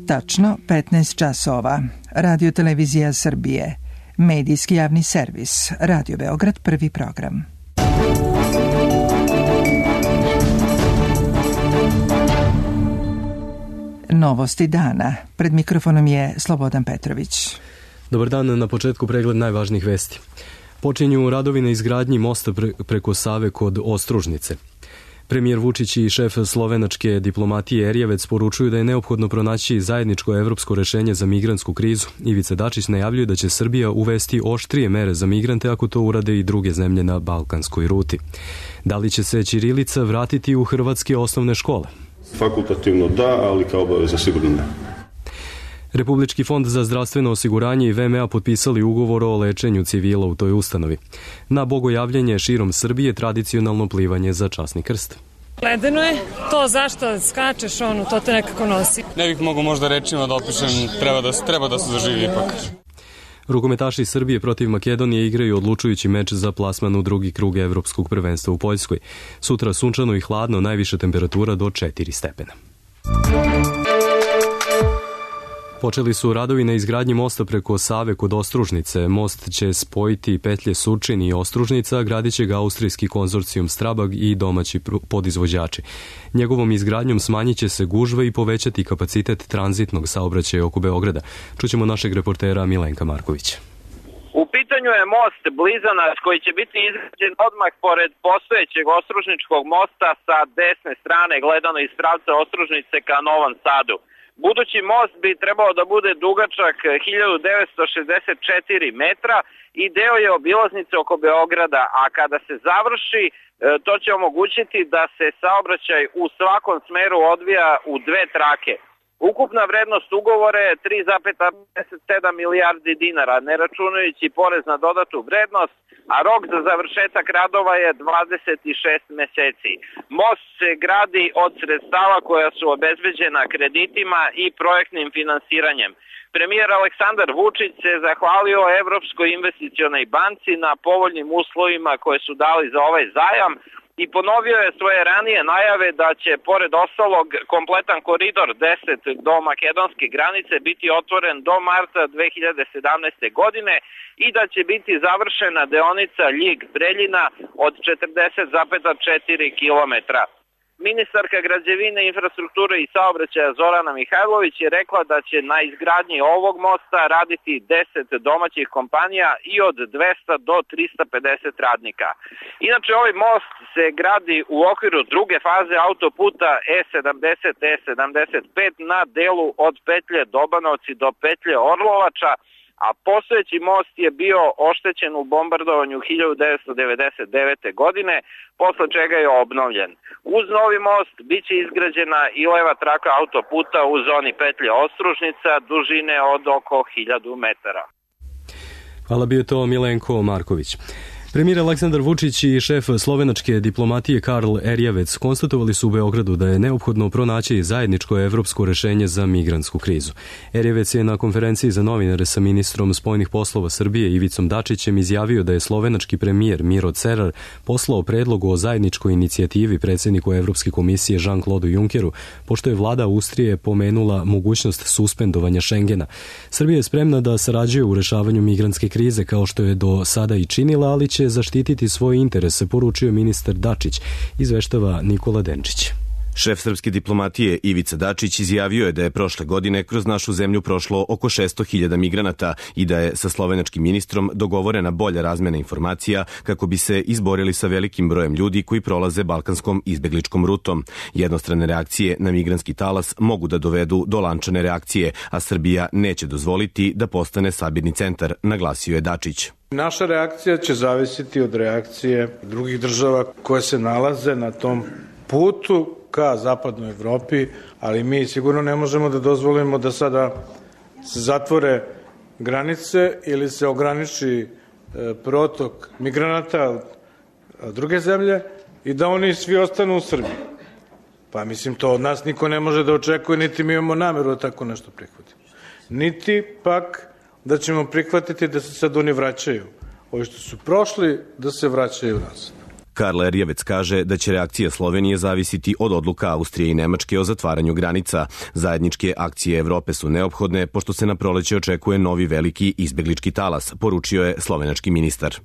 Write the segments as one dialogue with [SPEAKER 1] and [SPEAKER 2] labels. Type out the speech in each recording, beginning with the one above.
[SPEAKER 1] Tačno 15 časova. Radio Televizija Srbije. Medijski javni servis. Radio Beograd, prvi program. Novosti dana. Pred mikrofonom je Slobodan Petrović.
[SPEAKER 2] Dobar dan, na početku pregled najvažnijih vesti. Počinju radovi na izgradnji mosta preko Save kod Ostružnice. Premijer Vučić i šef slovenačke diplomatije Erjevec poručuju da je neophodno pronaći zajedničko evropsko rešenje za migrantsku krizu. Ivica Dačić najavljuje da će Srbija uvesti oštrije mere za migrante ako to urade i druge zemlje na balkanskoj ruti. Da li će se ćirilica vratiti u hrvatske osnovne škole?
[SPEAKER 3] Fakultativno da, ali kao obaveza sigurno ne.
[SPEAKER 2] Republički fond za zdravstveno osiguranje i VMA potpisali ugovor o lečenju civila u toj ustanovi. Na bogojavljenje širom Srbije tradicionalno plivanje za časni krst.
[SPEAKER 4] Ledeno je, to zašto skačeš, to te nekako nosi.
[SPEAKER 5] Ne bih mogu možda rečima da opišem, treba da se zaživi ipak.
[SPEAKER 2] Rukometaši Srbije protiv Makedonije igraju odlučujući meč za plasman u drugi krug evropskog prvenstva u Poljskoj. Sutra sunčano i hladno, najviša temperatura do 4 stepena. Počeli su radovi na izgradnji mosta preko Save kod Ostružnice. Most će spojiti petlje Surčin i Ostružnica, gradit će ga austrijski konzorcijum Strabag i domaći podizvođači. Njegovom izgradnjom smanjit će se gužve i povećati kapacitet tranzitnog saobraćaja oko Beograda. Čućemo našeg reportera Milenka Markovića.
[SPEAKER 6] U pitanju je most Blizanac koji će biti izgrađen odmah pored postojećeg Ostružničkog mosta sa desne strane gledano iz pravca Ostružnice ka Novom Sadu. Budući most bi trebao da bude dugačak 1964 metra i deo je obilaznice oko Beograda, a kada se završi to će omogućiti da se saobraćaj u svakom smeru odvija u dve trake. Ukupna vrednost ugovora je 3,57 milijardi dinara, ne računajući porez na dodatu vrednost, a rok za završetak radova je 26 meseci. Most se gradi od sredstava koja su obezbeđena kreditima i projektnim finansiranjem. Premijer Aleksandar Vučić se zahvalio Evropskoj investicionoj banci na povoljnim uslovima koje su dali za ovaj zajam i ponovio je svoje ranije najave da će, pored ostalog, kompletan koridor 10 do makedonske granice biti otvoren do marta 2017. godine i da će biti završena deonica Ljig-Preljina od 40,4 kilometra. Ministarka građevine, infrastrukture i saobraćaja Zorana Mihajlović je rekla da će na izgradnji ovog mosta raditi 10 domaćih kompanija i od 200 do 350 radnika. Inače, ovaj most se gradi u okviru druge faze autoputa E70-E75 na delu od petlje Dobanovci do petlje Orlovača, a postojeći most je bio oštećen u bombardovanju 1999. godine, posle čega je obnovljen. Uz novi most biće izgrađena i leva traka autoputa u zoni petlje Ostružnica dužine od oko 1000 metara.
[SPEAKER 2] Hvala, bio to Milenko Marković. Premijer Aleksandar Vučić i šef slovenačke diplomatije Karl Erjevec konstatovali su u Beogradu da je neophodno pronaći zajedničko evropsko rešenje za migrantsku krizu. Erjevec je na konferenciji za novinare sa ministrom spoljnih poslova Srbije Ivicom Dačićem izjavio da je slovenački premijer Miro Cerar poslao predlog o zajedničkoj inicijativi predsjedniku Evropske komisije Jean-Claude Junckeru, pošto je vlada Austrije pomenula mogućnost suspendovanja Schengena. Srbija je spremna da sarađuje u rešavanju migrantske krize kao što je do sada i činila, ali će zaštititi svoje interese, poručio ministar Dačić, izveštava Nikola Denčić.
[SPEAKER 7] Šef srpske diplomatije Ivica Dačić izjavio je da je prošle godine kroz našu zemlju prošlo oko 600.000 migranata i da je sa slovenačkim ministrom dogovorena bolja razmena informacija kako bi se izborili sa velikim brojem ljudi koji prolaze balkanskom izbegličkom rutom. Jednostrane reakcije na migrantski talas mogu da dovedu do lančane reakcije, a Srbija neće dozvoliti da postane sabirni centar, naglasio je Dačić.
[SPEAKER 8] Naša reakcija će zavisiti od reakcije drugih država koje se nalaze na tom putu ka zapadnoj Evropi, ali mi sigurno ne možemo da dozvolimo da sada se zatvore granice ili se ograniči protok migranata od druge zemlje i da oni svi ostanu u Srbiji. Pa mislim, to od nas niko ne može da očekuje, niti mi imamo nameru da tako nešto prihvatimo. Niti pak da ćemo prihvatiti da se sad oni vraćaju. Ovi što su prošli, da se vraćaju nazad.
[SPEAKER 7] Karl Erjavec kaže da će reakcija Slovenije zavisiti od odluka Austrije i Nemačke o zatvaranju granica. Zajedničke akcije Evrope su neophodne, pošto se na proleće očekuje novi veliki izbeglički talas, poručio je slovenački ministar.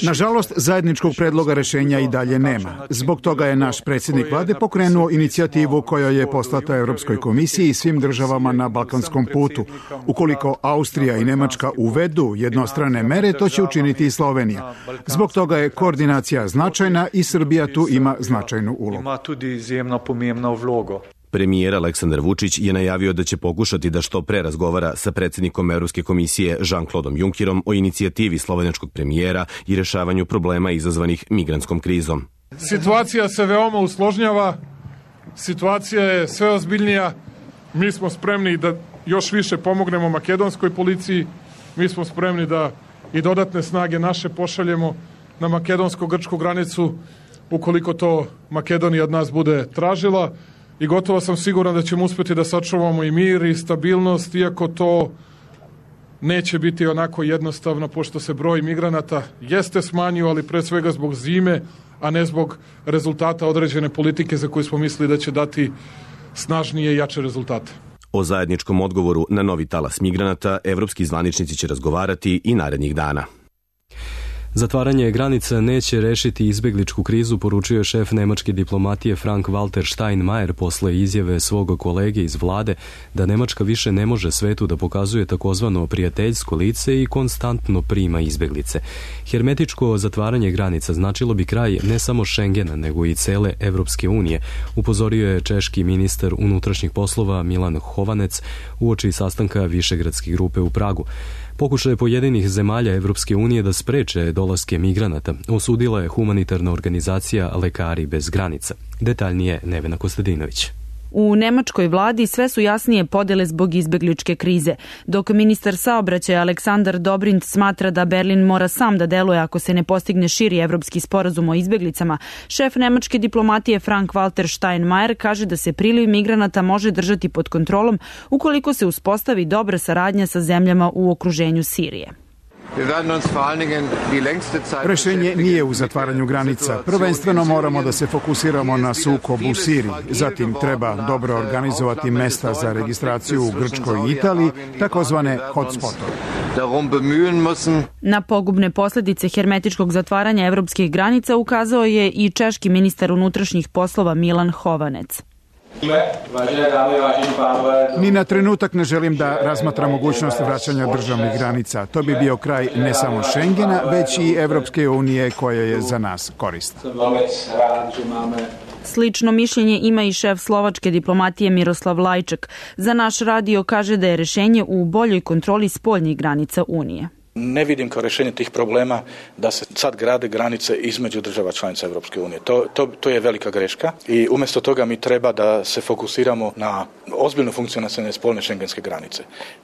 [SPEAKER 9] Nažalost, zajedničkog predloga rešenja i dalje nema. Zbog toga je naš predsjednik vlade pokrenuo inicijativu koja je poslata Evropskoj komisiji i svim državama na balkanskom putu. Ukoliko Austrija i Nemačka uvedu jednostrane mere, to će učiniti i Slovenija. Zbog toga je koordinacija značajna i Srbija tu ima značajnu ulogu.
[SPEAKER 7] Premijer Aleksandar Vučić je najavio da će pokušati da što pre razgovara sa predsjednikom Evropske komisije Jean-Claudeom Junckerom o inicijativi slovenačkog premijera i rešavanju problema izazvanih migrantskom krizom.
[SPEAKER 10] Situacija se veoma usložnjava, situacija je sve ozbiljnija. Mi smo spremni da još više pomognemo makedonskoj policiji, mi smo spremni da i dodatne snage naše pošaljemo na makedonsko-grčku granicu ukoliko to Makedonija od nas bude tražila. I gotovo sam siguran da ćemo uspjeti da sačuvamo i mir i stabilnost, iako to neće biti onako jednostavno, pošto se broj migranata jeste smanjio, ali pre svega zbog zime, a ne zbog rezultata određene politike za koju smo mislili da će dati snažnije i jače rezultate.
[SPEAKER 7] O zajedničkom odgovoru na novi talas migranata evropski zvaničnici će razgovarati i narednih dana.
[SPEAKER 2] Zatvaranje granica neće rešiti izbegličku krizu, poručio je šef nemačke diplomatije Frank-Walter Steinmeier posle izjave svog kolege iz vlade da Nemačka više ne može svetu da pokazuje takozvano prijateljsko lice i konstantno prima izbeglice. Hermetičko zatvaranje granica značilo bi kraj ne samo Schengena, nego i cele Evropske unije, upozorio je češki ministar unutrašnjih poslova Milan Chovanec uoči sastanka Višegradske grupe u Pragu. Pokušaje pojedinih zemalja Evropske unije da spreče dolaske migranata osudila je humanitarna organizacija Lekari bez granica. Detaljnije Nevena Kostadinović.
[SPEAKER 11] U nemačkoj vladi sve su jasnije podele zbog izbegličke krize, dok ministar saobraćaja Aleksandar Dobrindt smatra da Berlin mora sam da deluje ako se ne postigne širi evropski sporazum o izbeglicama. Šef nemačke diplomatije Frank-Walter Steinmeier kaže da se priliv migranata može držati pod kontrolom ukoliko se uspostavi dobra saradnja sa zemljama u okruženju Sirije.
[SPEAKER 9] Rešenje nije u zatvaranju granica. Prvenstveno moramo da se fokusiramo na sukob u Siriji. Zatim treba dobro organizovati mesta za registraciju u Grčkoj i Italiji, takozvane hotspotove.
[SPEAKER 11] Na pogubne posljedice hermetičkog zatvaranja evropskih granica ukazao je i češki ministar unutrašnjih poslova Milan Chovanec.
[SPEAKER 9] Ni na trenutak ne želim da razmatram mogućnost vraćanja državnih granica. To bi bio kraj ne samo Schengena, već i Evropske unije koja je za nas korisna.
[SPEAKER 11] Slično mišljenje ima i šef slovačke diplomatije Miroslav Lajčak. Za naš radio kaže da je rešenje u boljoj kontroli spoljnih granica Unije.
[SPEAKER 12] Ne vidim kao rješenje tih problema da se sad grade granice između država članica Evropske unije. To je velika greška i umjesto toga mi treba da se fokusiramo na ozbiljno funkcionalne spoljne šengenske granice.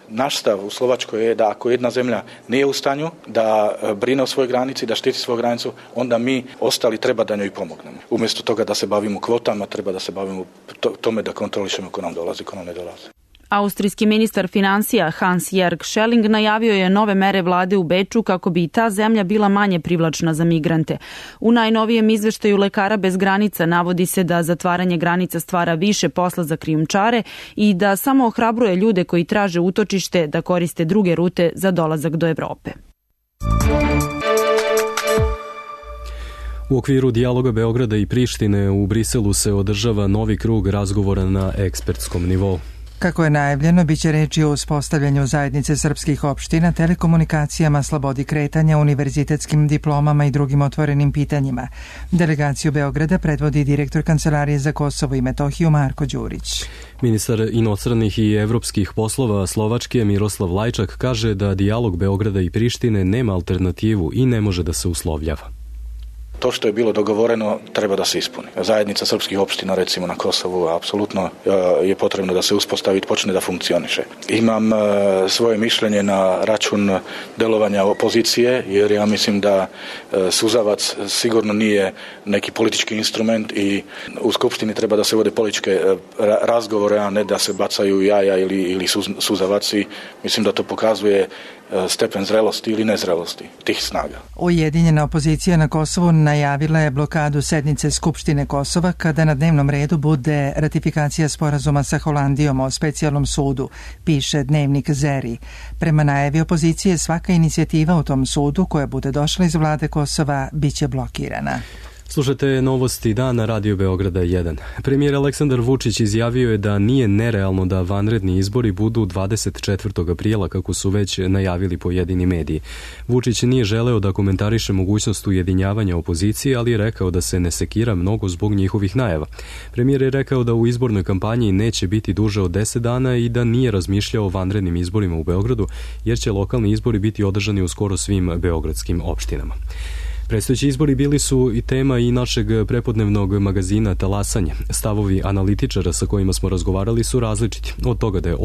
[SPEAKER 12] Naš stav u Slovačkoj je da ako jedna zemlja nije u stanju da brine o svojoj granici, da štiti svoju granicu, onda mi ostali treba da njoj pomognemo. Umjesto toga da se bavimo kvotama, treba da se bavimo tome da kontrolišemo ko nam dolazi, ko nam ne dolazi.
[SPEAKER 11] Austrijski ministar financija Hans-Jörg Schelling najavio je nove mere vlade u Beču kako bi i ta zemlja bila manje privlačna za migrante. U najnovijem izveštaju Lekara bez granica navodi se da zatvaranje granica stvara više posla za krijumčare i da samo ohrabruje ljude koji traže utočište da koriste druge rute za dolazak do Evrope.
[SPEAKER 2] U okviru dijaloga Beograda i Prištine u Briselu se održava novi krug razgovora na ekspertskom nivou.
[SPEAKER 1] Kako je najavljeno, bit će reči o uspostavljanju zajednice srpskih opština, telekomunikacijama, slobodi kretanja, univerzitetskim diplomama i drugim otvorenim pitanjima. Delegaciju Beograda predvodi direktor Kancelarije za Kosovo i Metohiju Marko Đurić.
[SPEAKER 2] Ministar inostranih i evropskih poslova Slovačke Miroslav Lajčak kaže da dijalog Beograda i Prištine nema alternativu i ne može da se uslovljava.
[SPEAKER 12] To što je bilo dogovoreno treba da se ispuni. Zajednica srpskih opština recimo na Kosovu apsolutno je potrebno da se uspostavi i počne da funkcioniše. Imam svoje mišljenje na račun delovanja opozicije jer ja mislim da suzavac sigurno nije neki politički instrument i u Skupštini treba da se vode političke razgovore, a ne da se bacaju jaja ili suzavaci. Mislim da to pokazuje stepen zrelosti ili nezrelosti tih snaga.
[SPEAKER 1] Ujedinjena opozicija na Kosovu najavila je blokadu sednice Skupštine Kosova kada na dnevnom redu bude ratifikacija sporazuma sa Holandijom o specijalnom sudu, piše dnevnik Zeri. Prema najavi opozicije, svaka inicijativa u tom sudu koja bude došla iz vlade Kosova biće blokirana.
[SPEAKER 2] Slušajte novosti dana Radio Beograda 1. Premijer Aleksandar Vučić izjavio je da nije nerealno da vanredni izbori budu 24. aprila, kako su već najavili pojedini mediji. Vučić nije želeo da komentariše mogućnost ujedinjavanja opozicije, ali je rekao da se ne sekira mnogo zbog njihovih najava. Premijer je rekao da u izbornoj kampanji neće biti duže od 10 dana i da nije razmišljao o vanrednim izborima u Beogradu, jer će lokalni izbori biti održani u skoro svim beogradskim opštinama. Predstojeći izbori bili su i tema i našeg prepodnevnog magazina Talasanje. Stavovi analitičara sa kojima smo razgovarali su različiti. Od toga da je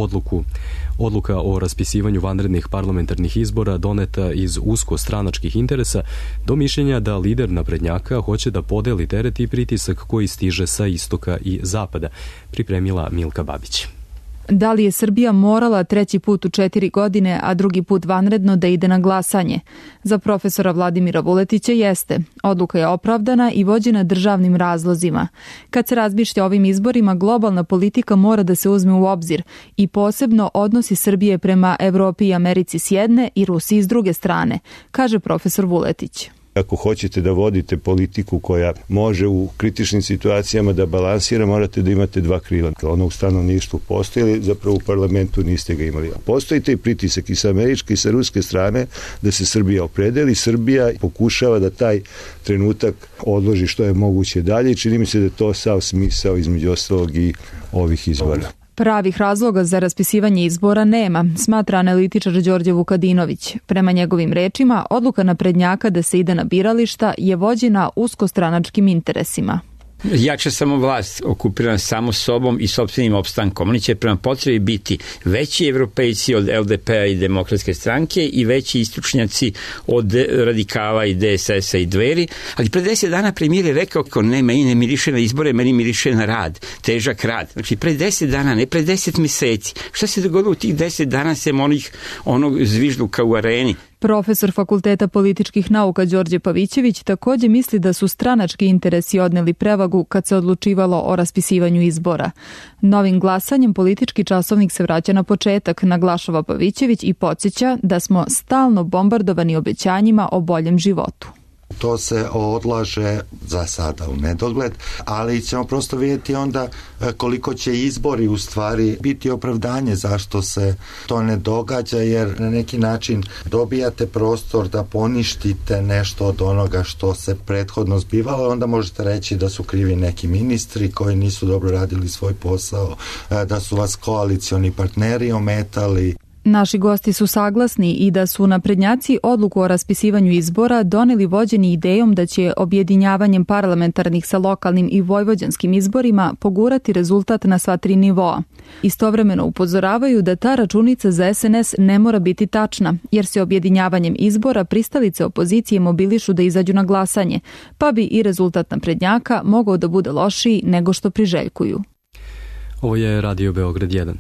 [SPEAKER 2] odluka o raspisivanju vanrednih parlamentarnih izbora doneta iz usko stranačkih interesa, do mišljenja da lider naprednjaka hoće da podeli teret i pritisak koji stiže sa istoka i zapada, pripremila Milka Babić.
[SPEAKER 13] Da li je Srbija morala treći put u 4 godine, a drugi put vanredno da ide na glasanje? Za profesora Vladimira Vuletića jeste. Odluka je opravdana i vođena državnim razlozima. Kad se razmišlja o ovim izborima, globalna politika mora da se uzme u obzir i posebno odnosi Srbije prema Evropi i Americi s jedne i Rusiji s druge strane, kaže profesor Vuletić.
[SPEAKER 14] Ako hoćete da vodite politiku koja može u kritičnim situacijama da balansira, morate da imate dva krila. Ono u stanovništvu postoji, zapravo u parlamentu niste ga imali. Postoji taj pritisak i sa američke i sa ruske strane da se Srbija opredeli. Srbija pokušava da taj trenutak odloži što je moguće dalje i čini mi se da je to sav smisao između ostalog i ovih izbora.
[SPEAKER 13] Pravih razloga za raspisivanje izbora nema, smatra analitičar Đorđe Vukadinović. Prema njegovim rečima, odluka naprednjaka da se ide na birališta je vođena uskostranačkim interesima.
[SPEAKER 15] Jača samo vlast, okupirana samo sobom i sopstvenim opstankom. Oni će prema potrebi biti veći evropejci od LDP-a i Demokratske stranke i veći istočnjaci od radikala i DSS-a i Dveri. Ali pre 10 dana premijer je rekao kako ne, meni ne miriše na izbore, meni miriše na rad, težak rad. Znači pre 10 dana, ne pre 10 meseci. Šta se dogodilo u tih 10 dana sem onog zvižduka u areni?
[SPEAKER 13] Profesor Fakulteta političkih nauka Đorđe Pavićević također misli da su stranački interesi odneli prevagu kad se odlučivalo o raspisivanju izbora. Novim glasanjem politički časovnik se vraća na početak, naglašava Pavićević i podsjeća da smo stalno bombardovani obećanjima o boljem životu.
[SPEAKER 16] To se odlaže za sada u nedogled, ali ćemo prosto vidjeti onda koliko će izbori u stvari biti opravdanje zašto se to ne događa, jer na neki način dobijate prostor da poništite nešto od onoga što se prethodno zbivalo, onda možete reći da su krivi neki ministri koji nisu dobro radili svoj posao, da su vas koalicioni partneri ometali.
[SPEAKER 13] Naši gosti su saglasni i da su naprednjaci odluku o raspisivanju izbora doneli vođeni idejom da će objedinjavanjem parlamentarnih sa lokalnim i vojvođanskim izborima pogurati rezultat na sva 3 nivoa. Istovremeno upozoravaju da ta računica za SNS ne mora biti tačna, jer se objedinjavanjem izbora pristalice opozicije mobilišu da izađu na glasanje, pa bi i rezultat naprednjaka mogao da bude lošiji nego što priželjkuju.
[SPEAKER 2] Ovo je Radio Beograd 1.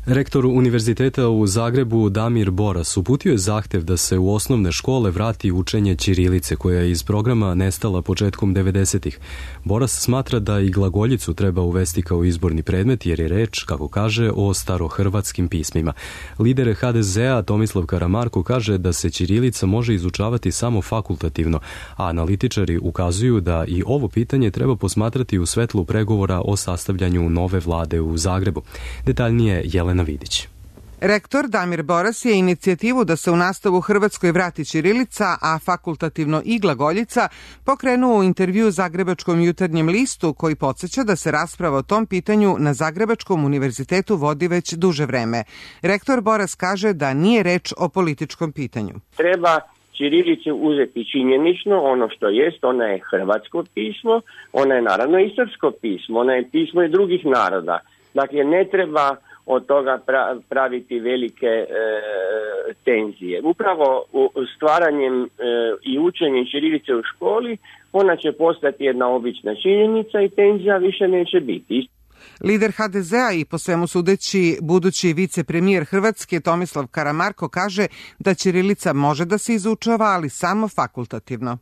[SPEAKER 2] Rektor Univerziteta u Zagrebu Damir Boras uputio je zahtev da se u osnovne škole vrati učenje ćirilice koja je iz programa nestala početkom 90-ih. Boras smatra da i glagoljicu treba uvesti kao izborni predmet jer je reč, kako kaže, o starohrvatskim pismima. Lider HDZ-a Tomislav Karamarko kaže da se ćirilica može izučavati samo fakultativno, a analitičari ukazuju da i ovo pitanje treba posmatrati u svetlu pregovora o sastavljanju nove vlade u Zagrebu. Detaljnije Jelena Vidić.
[SPEAKER 17] Rektor Damir Boras je inicijativu da se u nastavu Hrvatskoj vrati ćirilica, a fakultativno i glagoljica, pokrenuo u intervju Zagrebačkom jutarnjem listu, koji podsjeća da se rasprava o tom pitanju na Zagrebačkom univerzitetu vodi već duže vreme. Rektor Boras kaže da nije reč o političkom pitanju.
[SPEAKER 18] Treba ćirilicu uzeti činjenično, ono što jest, ona je hrvatsko pismo, ona je naravno i srpsko pismo, ona je pismo i drugih naroda. Dakle, ne treba od toga praviti velike tenzije. Upravo stvaranjem i učenjem ćirilice u školi, ona će postati jedna obična činjenica i tenzija više neće biti.
[SPEAKER 17] Lider HDZ-a i po svemu sudeći budući vicepremijer Hrvatske Tomislav Karamarko kaže da ćirilica može da se izučava, ali samo fakultativno.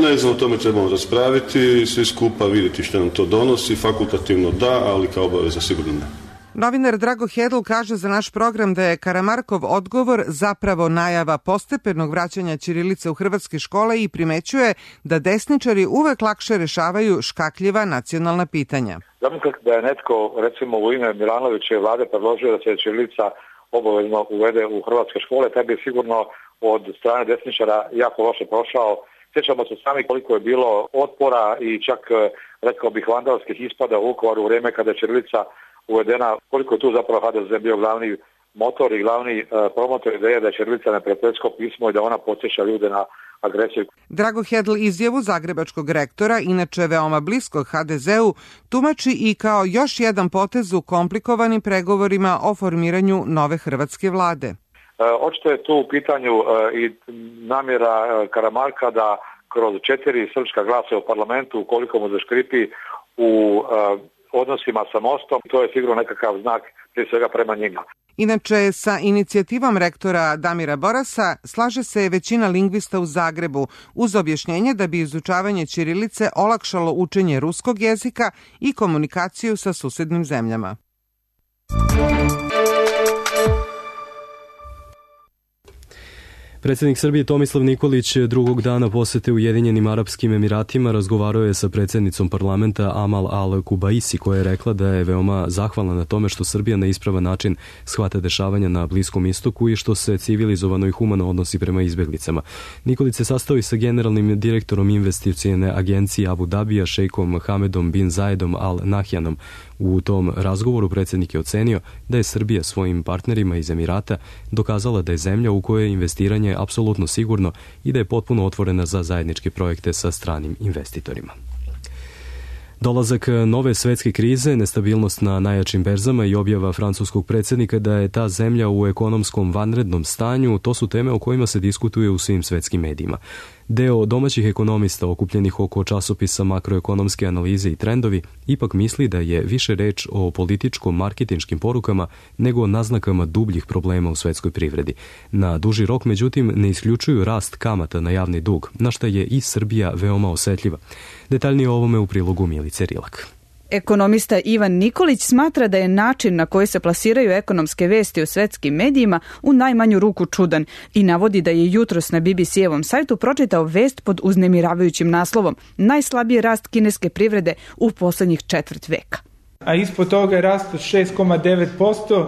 [SPEAKER 3] Ne znam, o tome trebamo raspraviti, svi skupa vidjeti što nam to donosi, fakultativno da, ali kao obaveza sigurno ne.
[SPEAKER 17] Novinar Drago Hedl kaže za naš program da je Karamarkov odgovor zapravo najava postepenog vraćanja ćirilice u hrvatske škole i primećuje da desničari uvek lakše rešavaju škakljiva nacionalna pitanja.
[SPEAKER 19] Zamislite da je netko, recimo u ime Milanovićeve vlade, predložio da se ćirilica obavezno uvede u hrvatske škole, taj bi sigurno od strane desničara jako loše prošao. Sjećamo se sami koliko je bilo otpora i čak, rekao bih, vandalskih ispada u Vukovaru u vrijeme kada je ćirilica uvedena, koliko je tu zapravo HDZ bio glavni motor i glavni promotor ideje da je ćirilica neprijateljsko pismo i da ona podsjeća ljude na agresiju.
[SPEAKER 17] Drago Hedl izjavu zagrebačkog rektora, inače veoma bliskog HDZ-u, tumači i kao još jedan potez u komplikovanim pregovorima o formiranju nove hrvatske vlade.
[SPEAKER 19] Očito je tu u pitanju i namjera Karamarka da kroz 4 srpska glasa u parlamentu, ukoliko mu zaškripi u odnosima sa Mostom, to je sigurno nekakav znak prije svega prema njima.
[SPEAKER 17] Inače, sa inicijativom rektora Damira Borasa slaže se većina lingvista u Zagrebu uz objašnjenje da bi izučavanje ćirilice olakšalo učenje ruskog jezika i komunikaciju sa susednim zemljama.
[SPEAKER 2] Predsjednik Srbije Tomislav Nikolić drugog dana posete Ujedinjenim Arapskim Emiratima razgovarao je sa predsjednicom parlamenta Amal Al-Kubaisi, koja je rekla da je veoma zahvalna na tome što Srbija na ispravan način shvata dešavanja na Bliskom istoku i što se civilizovano i humano odnosi prema izbjeglicama. Nikolić se sastao i sa generalnim direktorom investicione agencije Abu Dabija, šejkom Hamedom bin Zayedom Al Nahyanom. U tom razgovoru predsjednik je ocenio da je Srbija svojim partnerima iz Emirata dokazala da je zemlja u kojoj je investiranje apsolutno sigurno i da je potpuno otvorena za zajedničke projekte sa stranim investitorima. Dolazak nove svetske krize, nestabilnost na najjačim berzama i objava francuskog predsjednika da je ta zemlja u ekonomskom vanrednom stanju, to su teme o kojima se diskutuje u svim svetskim medijima. Deo domaćih ekonomista okupljenih oko časopisa Makroekonomske analize i trendovi ipak misli da je više reč o političko-marketinškim porukama nego o naznakama dubljih problema u svetskoj privredi. Na duži rok, međutim, ne isključuju rast kamata na javni dug, na šta je i Srbija veoma osetljiva. Detaljnije o ovome u prilogu Milice Rilak.
[SPEAKER 11] Ekonomista Ivan Nikolić smatra da je način na koji se plasiraju ekonomske vesti u svetskim medijima u najmanju ruku čudan i navodi da je jutros na BBC-evom sajtu pročitao vest pod uznemiravajućim naslovom "Najslabiji rast kineske privrede u poslednjih četvrt veka".
[SPEAKER 20] A ispod toga je rast od 6,9%,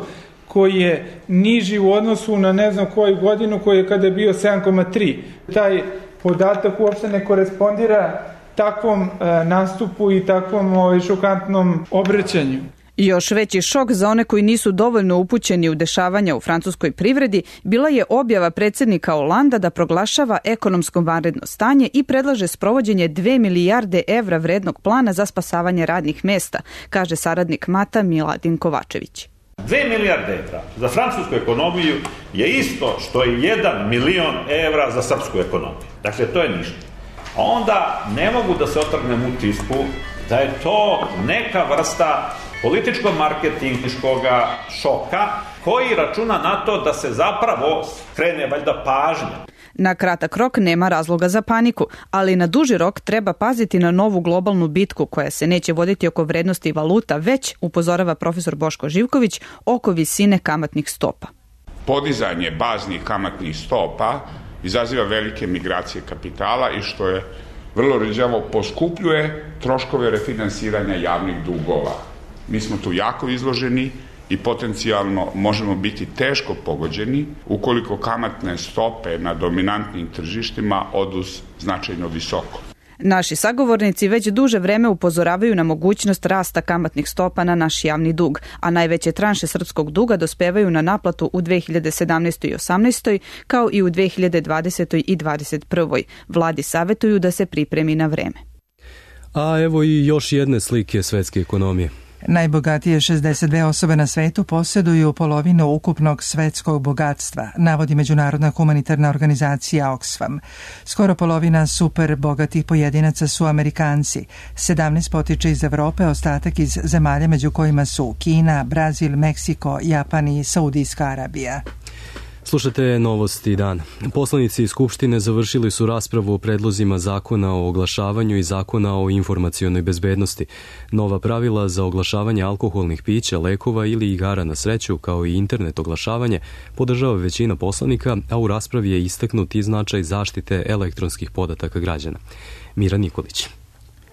[SPEAKER 20] koji je niži u odnosu na ne znam koju godinu, koji je kada je bio 7,3%. Taj podatak uopšte ne korespondira takvom nastupu i takvom šokantnom obraćanju.
[SPEAKER 11] I još veći šok za one koji nisu dovoljno upućeni u dešavanja u francuskoj privredi bila je objava predsjednika Holanda da proglašava ekonomsko vanredno stanje i predlaže sprovođenje 2 milijarde evra vrednog plana za spasavanje radnih mesta, kaže saradnik Mata Miladin Kovačević.
[SPEAKER 21] 2 milijarde evra za francusku ekonomiju je isto što je 1 milion evra za srpsku ekonomiju. Dakle, to je ništa. A onda ne mogu da se otrgnem utisku da je to neka vrsta političko-marketinškog šoka koji računa na to da se zapravo skrene valjda pažnja.
[SPEAKER 11] Na kratak rok nema razloga za paniku, ali na duži rok treba paziti na novu globalnu bitku koja se neće voditi oko vrednosti valuta, već, upozorava profesor Boško Živković, oko visine kamatnih stopa.
[SPEAKER 22] Podizanje baznih kamatnih stopa izaziva velike migracije kapitala i što je vrlo rđavo poskupljuje troškove refinansiranja javnih dugova. Mi smo tu jako izloženi i potencijalno možemo biti teško pogođeni ukoliko kamatne stope na dominantnim tržištima odu značajno visoko.
[SPEAKER 11] Naši sagovornici već duže vreme upozoravaju na mogućnost rasta kamatnih stopa na naš javni dug, a najveće tranše srpskog duga dospevaju na naplatu u 2017. i 2018. kao i u 2020. i 2021. Vladi savjetuju da se pripremi na vreme.
[SPEAKER 2] A evo i još jedne slike svetske ekonomije.
[SPEAKER 1] Najbogatije 62 osobe na svetu posjeduju polovinu ukupnog svetskog bogatstva, navodi međunarodna humanitarna organizacija Oxfam. Skoro polovina super bogatih pojedinaca su Amerikanci, 17 potiče iz Evrope, ostatak iz zemalja među kojima su Kina, Brazil, Meksiko, Japan i Saudijska Arabija.
[SPEAKER 2] Slušate Novosti dan. Poslanici Skupštine završili su raspravu o predlozima zakona o oglašavanju i zakona o informacionoj bezbednosti. Nova pravila za oglašavanje alkoholnih pića, lekova ili igara na sreću, kao i internet oglašavanje, podržava većina poslanika, a u raspravi je istaknut i značaj zaštite elektronskih podataka građana. Mira Nikolić.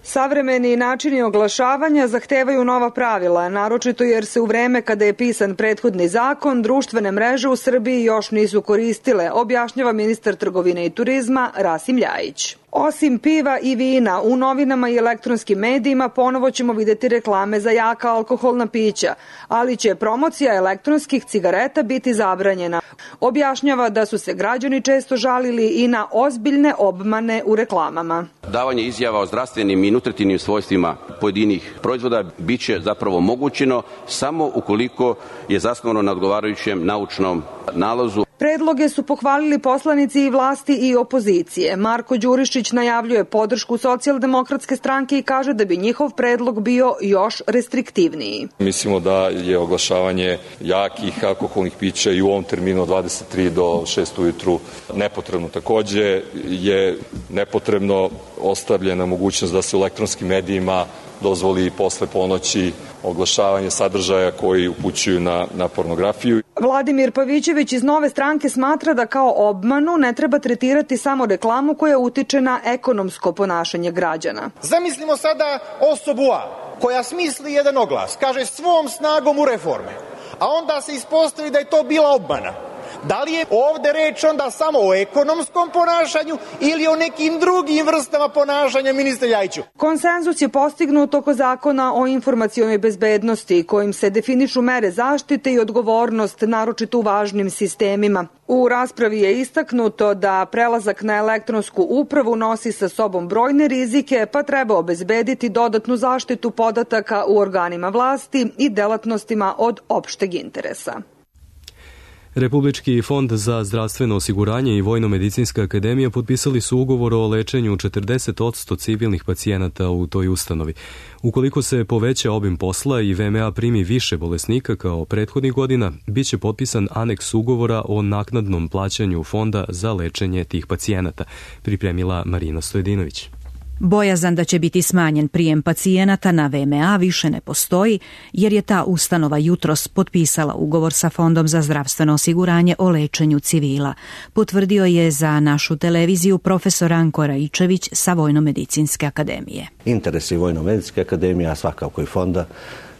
[SPEAKER 4] Savremeni načini oglašavanja zahtevaju nova pravila, naročito jer se u vreme kada je pisan prethodni zakon, društvene mreže u Srbiji još nisu koristile, objašnjava ministar trgovine i turizma Rasim Ljajić. Osim piva i vina, u novinama i elektronskim medijima ponovo ćemo vidjeti reklame za jaka alkoholna pića, ali će promocija elektronskih cigareta biti zabranjena. Objašnjava da su se građani često žalili i na ozbiljne obmane u reklamama.
[SPEAKER 5] Davanje izjava o zdravstvenim i nutritivnim svojstvima pojedinih proizvoda biće zapravo omogućeno samo ukoliko je zasnovano na odgovarajućem naučnom nalazu.
[SPEAKER 4] Predloge su pohvalili poslanici i vlasti i opozicije. Marko Đurišić najavljuje podršku Socijaldemokratske stranke i kaže da bi njihov predlog bio još restriktivniji.
[SPEAKER 23] Mislimo da je oglašavanje jakih alkoholnih pića i u ovom terminu od 23 do 6 ujutru nepotrebno. Takođe je nepotrebno ostavljena mogućnost da se u elektronskim medijima dozvoli posle ponoći oglašavanje sadržaja koji upućuju na pornografiju.
[SPEAKER 4] Vladimir Pavićević iz Nove stranke smatra da kao obmanu ne treba tretirati samo reklamu koja utiče na ekonomsko ponašanje građana.
[SPEAKER 24] Zamislimo sada osobu A koja smisli jedan oglas, kaže svom snagom u reforme, a onda se ispostavi da je to bila obmana. Da li je ovde reč onda samo o ekonomskom ponašanju ili o nekim drugim vrstama ponašanja, ministre Ljajiću?
[SPEAKER 4] Konsenzus je postignut oko zakona o informacionoj bezbednosti, kojim se definišu mere zaštite i odgovornost, naročito u važnim sistemima. U raspravi je istaknuto da prelazak na elektronsku upravu nosi sa sobom brojne rizike, pa treba obezbediti dodatnu zaštitu podataka u organima vlasti i delatnostima od opšteg interesa.
[SPEAKER 2] Republički fond za zdravstveno osiguranje i Vojno-medicinska akademija potpisali su ugovor o lečenju 40% civilnih pacijenata u toj ustanovi. Ukoliko se poveća obim posla i VMA primi više bolesnika kao prethodnih godina, bit će potpisan aneks ugovora o naknadnom plaćanju fonda za lečenje tih pacijenata, pripremila Marina Stojedinović.
[SPEAKER 25] Bojazan da će biti smanjen prijem pacijenata na VMA više ne postoji, jer je ta ustanova jutros potpisala ugovor sa Fondom za zdravstveno osiguranje o lečenju civila. Potvrdio je za našu televiziju profesor Anko Raičević sa Vojno-medicinske akademije.
[SPEAKER 26] Interesi Vojno-medicinske akademije, a svakako i fonda,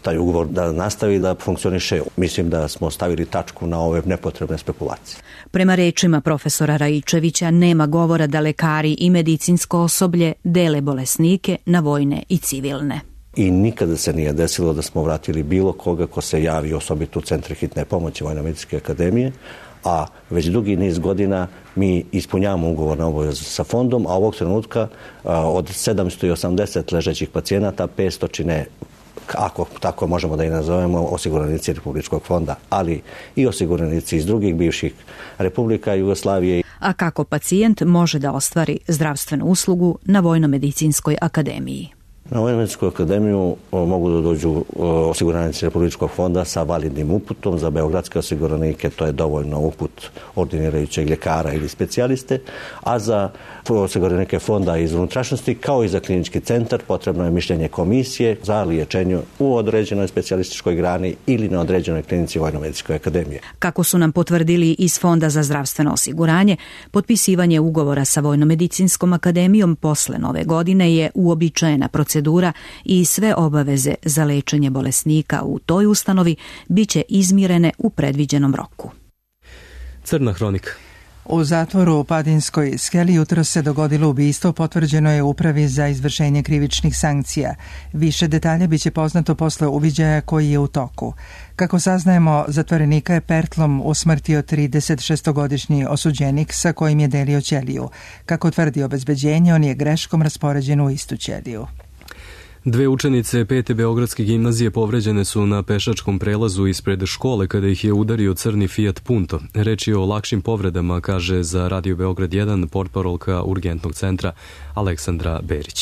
[SPEAKER 26] taj ugovor da nastavi da funkcioniše. Mislim da smo stavili tačku na ove nepotrebne spekulacije.
[SPEAKER 25] Prema rečima profesora Raičevića, nema govora da lekari i medicinsko osoblje dele bolesnike na vojne i civilne.
[SPEAKER 26] I nikada se nije desilo da smo vratili bilo koga ko se javi, osobito u centre hitne pomoći Vojno-medicinske akademije, a već dugi niz godina mi ispunjavamo ugovorne obaveze sa fondom, a ovog trenutka od 780 ležećih pacijenata 500 čine, ako tako možemo da i nazovemo, osiguranici Republičkog fonda, ali i osiguranici iz drugih bivših republika Jugoslavije.
[SPEAKER 25] A kako pacijent može da ostvari zdravstvenu uslugu na Vojno-medicinskoj akademiji?
[SPEAKER 26] Na Vojno-medicinsku akademiju mogu da dođu osiguranici Republičkog fonda sa validnim uputom. Za beogradske osiguranike to je dovoljno uput ordinirajućeg ljekara ili specijaliste, a za osiguranike fonda iz unutrašnjosti kao i za klinički centar potrebno je mišljenje komisije za liječenje u određenoj specijalističkoj grani ili na određenoj klinici Vojno-medicinske akademije.
[SPEAKER 25] Kako su nam potvrdili iz Fonda za zdravstveno osiguranje, potpisivanje ugovora sa Vojno-medicinskom akademijom posle nove godine je uobičajena procedura i sve obaveze za lečenje bolesnika u toj ustanovi biće izmirene u predviđenom roku.
[SPEAKER 2] Crna hronika.
[SPEAKER 1] U zatvoru u Padinskoj skeli jutro se dogodilo ubistvo, potvrđeno je upravi za izvršenje krivičnih sankcija. Više detalja biće poznato posle uviđaja koji je u toku. Kako saznajemo, zatvorenika je pertlom usmrtio 36-godišnji osuđenik sa kojim je delio ćeliju. Kako tvrdi obezbeđenje, on je greškom raspoređen u istu ćeliju.
[SPEAKER 2] Dve učenice 5. Beogradske gimnazije povređene su na pešačkom prelazu ispred škole kada ih je udario crni Fiat Punto. Reč je o lakšim povredama, kaže za Radio Beograd 1 portparolka urgentnog centra Aleksandra Berić.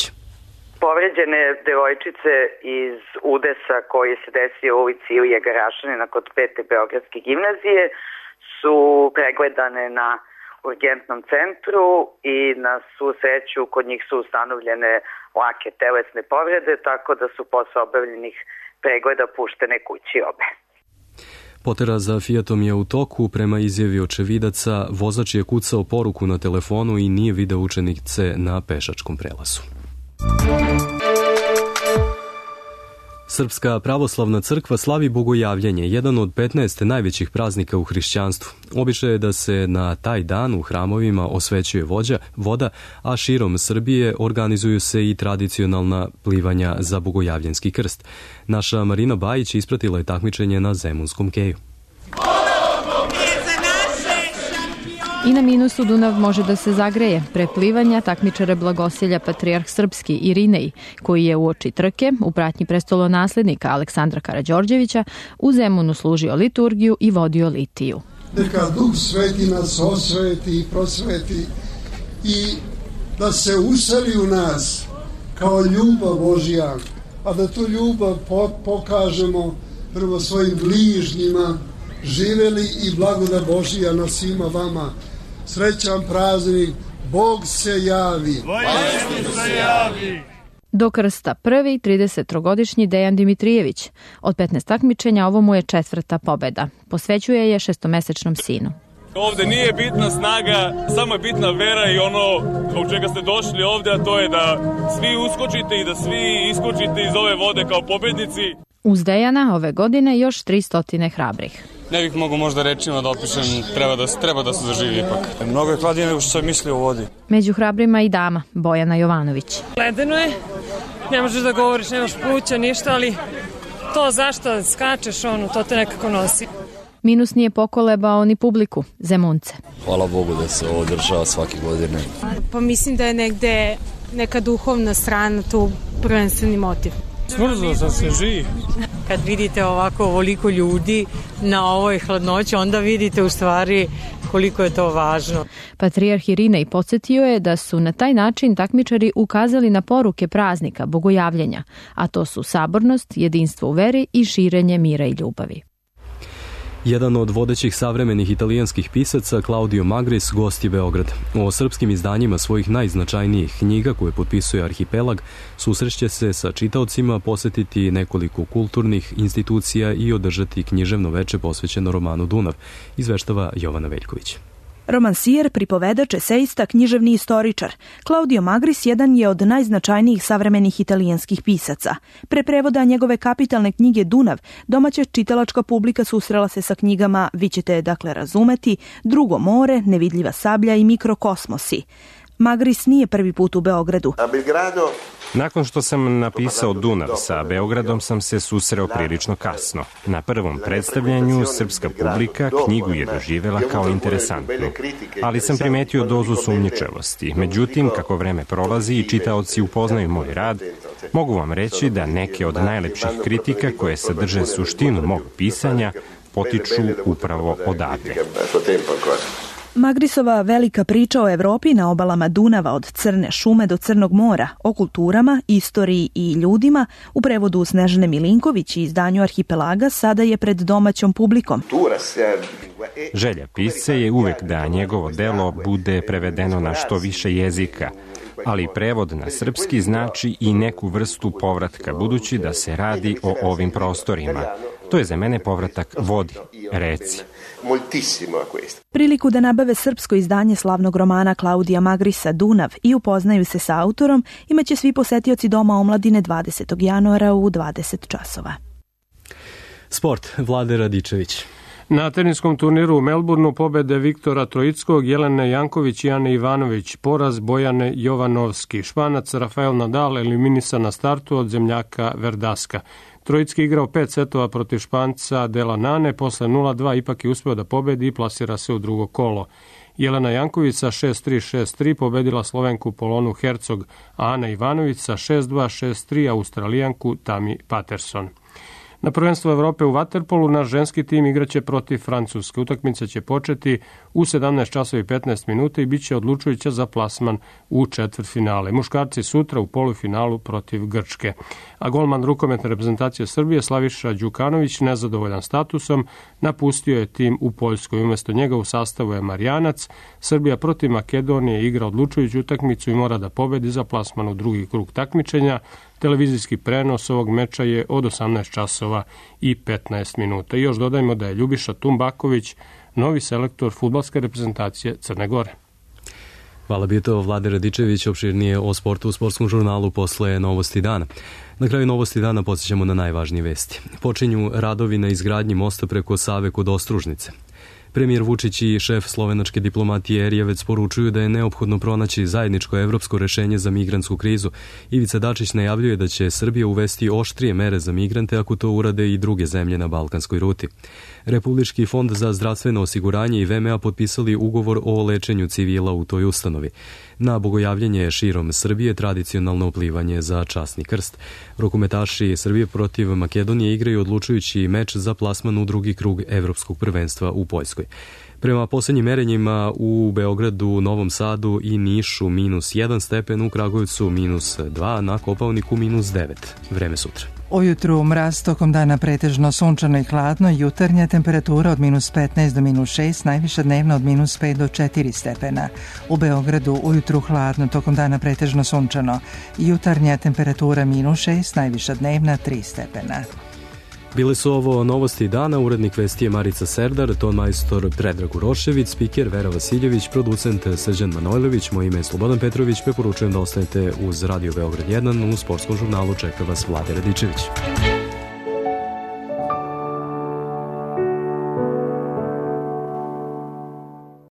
[SPEAKER 6] Povređene devojčice iz udesa koji se desio u ulici Ilije Garašanina kod 5. Beogradske gimnazije su pregledane na urgentnom centru i na svu sreću kod njih su ustanovljene lake telesne povrede, tako da su posle obavljenih pregleda puštene kući obe.
[SPEAKER 2] Potera za Fiatom je u toku. Prema izjavi očevidaca, vozač je kucao poruku na telefonu i nije video učenice na pešačkom prelazu. Srpska pravoslavna crkva slavi Bogojavljenje, jedan od 15 najvećih praznika u hrišćanstvu. Običaj je da se na taj dan u hramovima osvećuje voda, a širom Srbije organizuju se i tradicionalna plivanja za Bogojavljenski krst. Naša Marina Bajić ispratila je takmičenje na Zemunskom keju.
[SPEAKER 13] I na minusu Dunav može da se zagreje. Pre plivanja takmičara blagosilja patrijarh srpski Irinej, koji je uoči trke u pratnji prestolonaslednika Aleksandra Karađorđevića u Zemunu služio liturgiju i vodio litiju.
[SPEAKER 7] Neka Duh Sveti nas osveti i prosveti i da se useli u nas kao ljubav Božja, a da tu ljubav pokažemo prvo svojim bližnjima. Živeli i blagodat Božija na svima vama. Srećan praznik, Bog se javi.
[SPEAKER 13] Do krsta prvi 33-godišnji Dejan Dimitrijević. Od 15 takmičenja ovo mu je 4. pobeda. Posvećuje je 6-mesečnom sinu.
[SPEAKER 8] Ovde nije bitna snaga, samo je bitna vera i ono zbog čega ste došli ovde, a to je da svi uskočite i da svi iskočite iz ove vode kao pobednici.
[SPEAKER 13] Uz Dejana ove godine još 300 hrabrih.
[SPEAKER 8] Ne bih mogu možda rečima da opišem, treba da se zaživi ipak.
[SPEAKER 9] Mnogo je hladnije nego što sam mislio u vodi.
[SPEAKER 13] Među hrabrima i dama, Bojana Jovanović.
[SPEAKER 10] Ledeno je, ne možeš da govoriš, nemaš pluća, ništa, ali to zašto skačeš, to te nekako nosi.
[SPEAKER 13] Minus nije pokolebao ni publiku, Zemunce.
[SPEAKER 9] Hvala Bogu da se ovo održava svake godine.
[SPEAKER 12] Pa mislim da je negde neka duhovna strana tu prvenstveni motiv.
[SPEAKER 9] Smrzlo sam se živi.
[SPEAKER 12] Kad vidite ovako ovoliko ljudi na ovoj hladnoći, onda vidite u stvari koliko je to važno.
[SPEAKER 13] Patrijarh Irinej podsjetio je da su na taj način takmičari ukazali na poruke praznika, bogojavljenja, a to su sabornost, jedinstvo u veri i širenje mira i ljubavi.
[SPEAKER 2] Jedan od vodećih savremenih italijanskih pisaca, Claudio Magris, gost je Beograd. O srpskim izdanjima svojih najznačajnijih knjiga koje potpisuje Arhipelag susreće se sa čitaocima, posjetiti nekoliko kulturnih institucija i održati književno veče posvećeno romanu Dunav, izveštava Jovana Veljković.
[SPEAKER 27] Romansijer, pripovedač, esejista, književni istoričar. Claudio Magris jedan je od najznačajnijih savremenih italijanskih pisaca. Pre prevoda njegove kapitalne knjige Dunav, domaća čitalačka publika susrela se sa knjigama Vi ćete je dakle razumeti, Drugo more, Nevidljiva sablja i Mikrokosmosi. Magris nije prvi put u Beogradu.
[SPEAKER 28] Nakon što sam napisao Dunav, sa Beogradom sam se susreo prilično kasno. Na prvom predstavljanju srpska publika knjigu je doživela kao interesantnu, ali sam primetio dozu sumnjičavosti. Međutim, kako vreme prolazi i čitaoci upoznaju moj rad, mogu vam reći da neke od najlepših kritika koje sadrže suštinu mog pisanja potiču upravo odavde.
[SPEAKER 27] Magrisova velika priča o Evropi na obalama Dunava od Crne šume do Crnog mora, o kulturama, istoriji i ljudima, u prevodu Snežane Milinković i izdanju Arhipelaga, sada je pred domaćom publikom.
[SPEAKER 28] Želja pisca je uvek da njegovo delo bude prevedeno na što više jezika, ali prevod na srpski znači i neku vrstu povratka, budući da se radi o ovim prostorima. To je za mene povratak vodi, reci.
[SPEAKER 27] Priliku da nabave srpsko izdanje slavnog romana Claudia Magrisa Dunav i upoznaju se sa autorom imaće svi posetioci Doma omladine 20. januara u 20 časova.
[SPEAKER 2] Sport, Vlade Radičević.
[SPEAKER 29] Na teniskom turniru u Melbourneu pobede Viktora Trojickog, Jelene Janković i Ane Ivanović, poraz Bojane Jovanovski. Španac Rafael Nadal eliminisan na startu od zemljaka Verdaska. Trojicki igrao 5 setova protiv Španca Dela Nane, posle 0-2 ipak je uspeo da pobedi i plasira se u drugo kolo. Jelena Janković sa 6-3, 6-3 pobedila Slovenku Polonu Hercog, a Ana Ivanović sa 6-2, 6-3 Australijanku Tami Patterson. Na prvenstvu Evrope u vaterpolu naš ženski tim igraće protiv Francuske. Utakmica će početi u 17 časova i 15 minuta i bit će odlučujuća za plasman u četvrtfinale. Muškarci sutra u polufinalu protiv Grčke. A golman rukometne reprezentacije Srbije Slaviša Đukanović, nezadovoljan statusom, napustio je tim u Poljskoj. Umesto njega u sastavu je Marjanac. Srbija protiv Makedonije igra odlučujuću utakmicu i mora da pobedi za plasman u drugi krug takmičenja. Televizijski prenos ovog meča je od 18 časova i 15 minuta. I još dodajmo da je Ljubiša Tumbaković novi selektor fudbalske reprezentacije Crne Gore.
[SPEAKER 2] Hvala, bio to Vlade Radičević, opširnije o sportu u Sportskom žurnalu posle Novosti dana. Na kraju Novosti dana podsjećamo na najvažnije vesti. Počinju radovi na izgradnji mosta preko Save kod Ostružnice. Premijer Vučić i šef slovenačke diplomatije Erjavec poručuju da je neophodno pronaći zajedničko evropsko rešenje za migrantsku krizu. Ivica Dačić najavljuje da će Srbija uvesti oštrije mere za migrante ako to urade i druge zemlje na balkanskoj ruti. Republički fond za zdravstveno osiguranje i VMA potpisali ugovor o lečenju civila u toj ustanovi. Na bogojavljenje širom Srbije tradicionalno uplivanje za časni krst. Rukometaši Srbije protiv Makedonije igraju odlučujući meč za plasman u drugi krug evropskog prvenstva u Poljskoj. Prema posljednjim merenjima u Beogradu, Novom Sadu i Nišu -1 stepen, u Kragujevcu -2, na Kopaoniku -9. Vreme sutra.
[SPEAKER 1] Ujutru mraz, tokom dana pretežno sunčano i hladno, jutarnja temperatura od -15 do -6, najviša dnevna od -5 do 4 stepena. U Beogradu ujutru hladno, tokom dana pretežno sunčano, jutarnja temperatura -6, najviša dnevna 3 stepena.
[SPEAKER 2] Bile su ovo Novosti dana, urednik vesti je Marica Serdar, tonmajstor Predrag Urošević, spiker Vera Vasiljević, producent Srđan Manojlović, moje ime je Slobodan Petrović, preporučujem da ostanete uz Radio Beograd 1, u Sportskom žurnalu čeka vas Vlade Radičević.